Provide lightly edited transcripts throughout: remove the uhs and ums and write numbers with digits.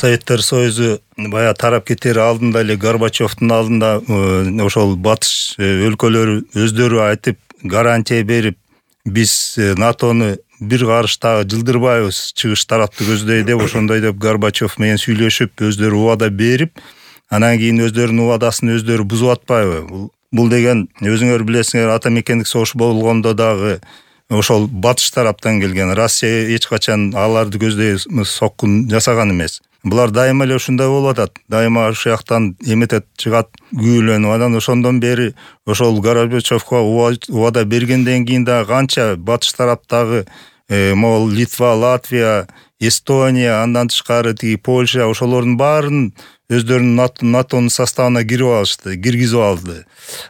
Советтер Союзу бая тарап кетер алдында эле Горбачевдун алдында ошол батыш өлкөлөрү өздөрү айтып гарантия берип, биз НАТОну бир карыш дагы жылдырбайбыз, чыгыш тарапты көздөй деп ошондой деп Горбачев менен сүйлөшүп, өздөрү убада берип, анан кийин өздөрүнүн убадасын өздөрү бузуп атпайбы? Бул деген өзүңөр билесиңер, ата мекендик согуш болгондо дагы ошол батыш тараптан келген. Россия эч качан аларды көздөй соккун жасаган эмес. Булар дайыма эле ушундай болуп атат. Дайыма ошол жактан эметет, чыгат, күйүлөнүп. Анан ошондон бери ошол Горбачевго убада бергенден кийин дагы канча батыш тараптагы могул Литва, Латвия, Эстония, андан тышкары тиги Польша, ошолордун баарын өздөрүнүн НАТОнун составына киргизип алды.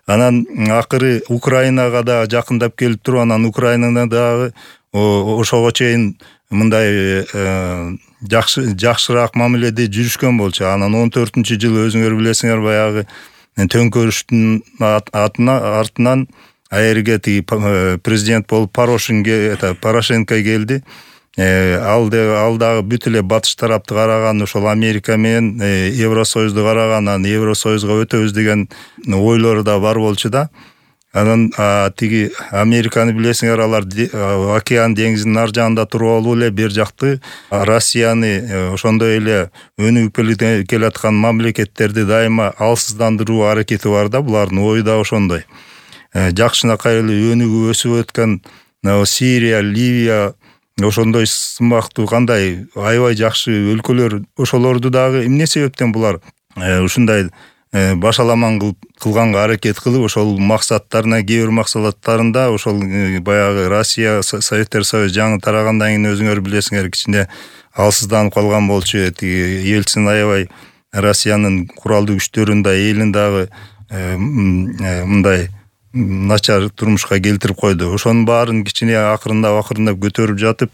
Анан акыры Украинага дагы жакындап келип туруп, анан Украинада дагы ошого чейин мындай жакшыраак мамиледе жүрүшкөн болчу. Анан 14-жылы өзүңөр билесиңер, баягы төңкөрүштүн артынан аерге тиги президент болуп Порошенко келди. Ал дагы бүт эле батыш тарапты караган, ошол Америка менен Евросоюзду караган, анан Евросоюзга өтөбүз деген ойлору да бар болчу да. Анан тиги Американы билесиңер, алар океан деңизинин ар жагында туруп алып эле бер жакты Россияны ошондой эле өнүгүп келаткан мамлекеттерди дайыма алсыздандыруу аракети бар да, булардын ою да ошондой. Жакшынакай эле өнүгүп өсүп өткөн Сирия, Ливия, ошондой сымактуу кандай аябай жакшы өлкөлөр, ошолорду дагы эмне себептен булар ушундай башаламан кылганга аракет кылып, ошол максаттарына, кээ бир максаттарында ошол баягы Россия, Советтер Союзу жаңы тарагандан кийин өзүңөр билесиңер, кичине алсызданып калган болчу. Ельцин аябай Россиянын куралдуу күчтөрүн да, элин дагы мындай начар турмушка келтирип койду. Ошонун баарын кичине акырындап көтөрүп жатып,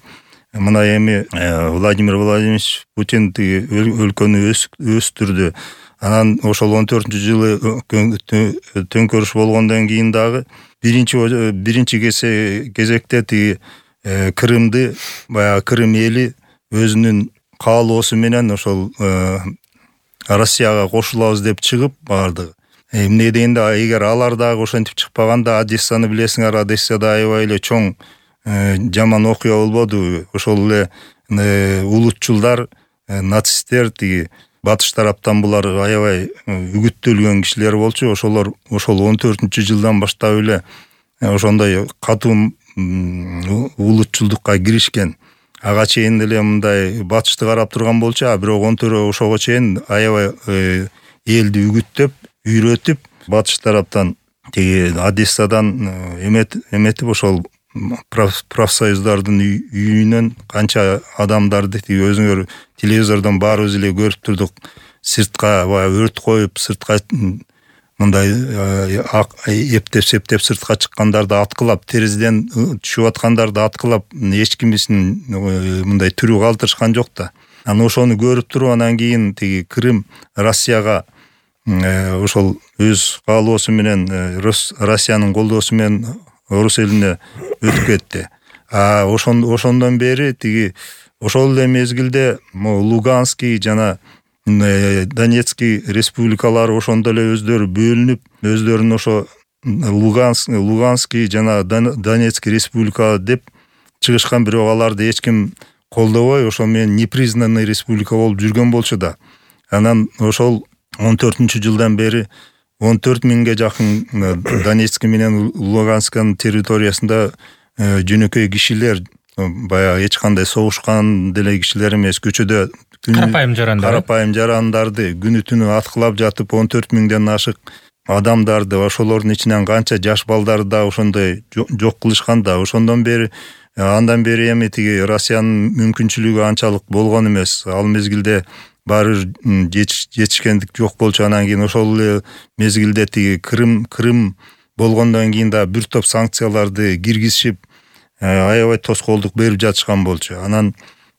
мына эми Владимир Владимирович Путин өлкөнү өстүрдү. Анан ошол 14-жылы төңкөрүш болгондон кийин дагы биринчи кезекте тиги Крымды, баягы Крым эли өзүнүн каалоосу менен ошол Россияга кошулабыз деп чыгып бардыгы. Эмне дегенде, эгер алар дагы ошентип чыкпаганда, Одессаны билесиңер, Одессада аябай эле чоң жаман окуя болбодубу? Ошол эле улутчулдар, нацисттер, тиги батыш тараптан булар аябай үгүттөлгөн кишилер болчу. Ошол 14-жылдан баштап эле ошондой катуу улутчулдукка киришкен. Ага чейин деле мындай батышты карап турган болчу, бирок ошого чейин аябай элди үгүттөп, үйрөтүп, батыш тараптан тиги Одессадан эметип, ошол профсоюздардын үйүнөн канча адамдарды, тиги өзүңөр телевизордон баарыбыз эле көрүп турдук, сыртка өрт коюп, сыртка мындай эптеп сыртка чыккандарды аткылап, терезеден түшүп аткандарды аткылап, эч кимисин мындай тирүү калтырышкан жок да. Анан ошону көрүп туруп, анан кийин тиги Крым Россияга ошол өз каалоосу менен, Россиянын колдоосу менен орус элине өтүп кетти. Ошондон бери тиги ошол эле мезгилде Луганский жана Донецкий республикалары ошондо эле өздөрү бөлүнүп, өздөрүн ошо Луганский жана Донецкий республика деп чыгышкан, бирок аларды эч ким колдобой, ошол менен непризнанный республика болуп жүргөн болчу да. Анан ошол 14-жылдан бери 14 миңге жакын Донецкий менен Лугансканын территориясында жөнөкөй кишилер, баягы эч кандай согушкан деле кишилер эмес, көчөдө карапайым жарандарды күнү түнү аткылап жатып, 14 миңден ашык адамдарды, ошолордун ичинен канча жаш балдарды да ошондой жок кылышкан да. Ошондон бери андан бери эми тиги Россиянын мүмкүнчүлүгү анчалык болгон эмес. Ал мезгилде баары жетишкендик жок болчу. Анан кийин ошол эле мезгилде тиги Крым болгондон кийин да бир топ санкцияларды киргизишип, аябай тоскоолдук берип жатышкан болчу. Анан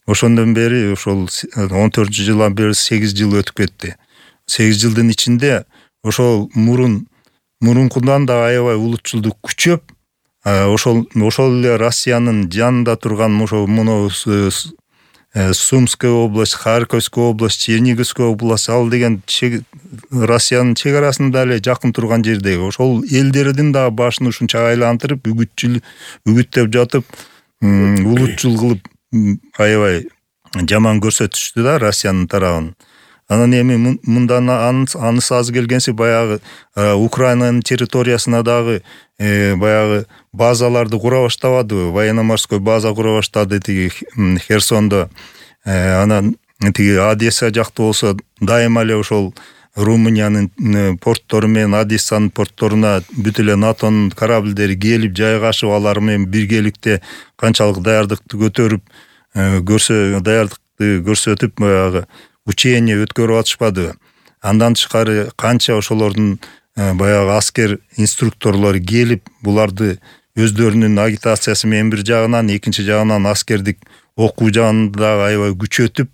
ошондон бери ошол 14-жылдан бери 8 жыл өтүп кетти. 8 жылдын ичинде ошол мурункудан да аябай улутчулдук күчөп, ошол эле Россиянын жанында турган ошо Сумская область, Харьковская область, Черниговская область, ал деген Россиянын чек арасында эле жакын турган жердеги ошол элдердин дагы башын ушунча айлантырып үгүттөп жатып, улутчул кылып аябай жаман көрсөтүштү да Россиянын тарабын. Анан эми мындан анысы аз келгенси баягы Украинанын территориясына дагы баягы базаларды кура баштабадыбы? Военно-морской база кура баштады тиги Херсондо. Анан тиги Одесса жакта болсо дайыма эле ошол Румыниянын порттору менен Одессанын портторуна бүт эле НАТОнун корабльдери келип жайгашып, алар менен биргеликте канчалык даярдыкты даярдыкты көрсөтүп баягы учение өткөрүп атышпадыбы? Андан тышкары канча ошолордун баягы аскер инструкторлору келип, буларды өздөрүнүн агитациясы менен бир жагынан, экинчи жагынан аскердик окуу жагында дагы аябай күчөтүп,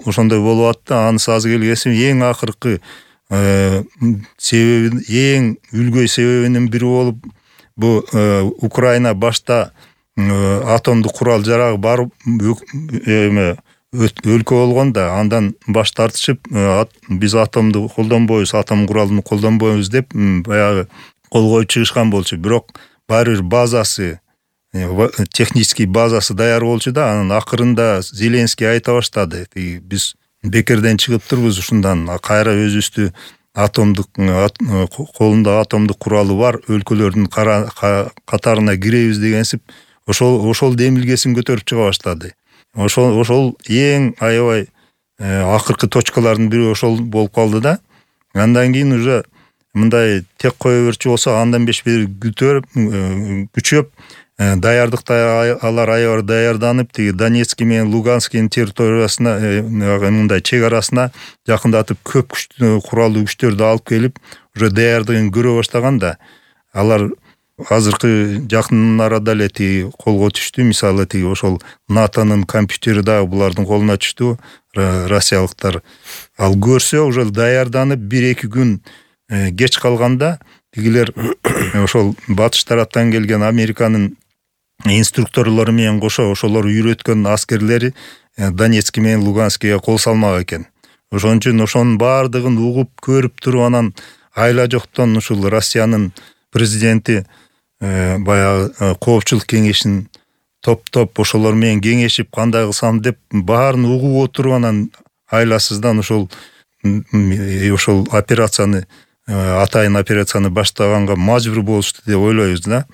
ошондой болуп атты. Анысы аз келгесин эң акыркы себеби, эң үлгөй себебинин бири болуп, бу Украина башта атомдук курал жарагы бар өлкө болгон да, андан баш тартышып, биз атомду колдонбойбуз, атом куралын колдонбойбуз деп баягы кол коюп чыгышкан болчу. Бирок баары бир базасы, технический базасы даяр болчу да. Анан акырында Зеленский айта баштады: биз бекерден чыгыптырбыз ушундан, кайра өзүбүздү колунда атомдук куралы бар өлкөлөрдүн катарына киребиз дегенсип, ошол демилгесин көтөрүп чыга баштады. Ошол эң аябай акыркы точкалардын бири ошол болуп калды да. Андан кийин уже мындай тек кое берчү болсо, андан бери күчөп, даярдыкта алар аябай даярданып, тиги Донецкий менен Луганскийдин территориясына, мындай чек арасына жакындатып, көп куралдуу күчтөрдү алып келип, уже даярдыгын көрө баштаган да. Алар азыркы жакын арада эле тиги колго түштү. Мисалы тиги ошол НАТОнун компьютери дагы булардын колуна түштү, россиялыктар. Ал көрсө, уже даярданып 1-2 күн кеч калганда тигилер ошол батыш тараптан келген Американын инструкторлору менен кошо ошолор үйрөткөн аскерлери Донецкий менен Луганскийге кол салмак экен. Ошон үчүн ошонун баардыгын угуп көрүп туруп, анан айла жоктон ушул Россиянын президенти баягы коопчулук кеңешин топтоп ошолор менен кеңешип, кандай кылсам деп баарын угуп отуруп, анан айласыздан ошол операцияны, атайын операцияны баштаганга мажбур болушту деп ойлойбуз да.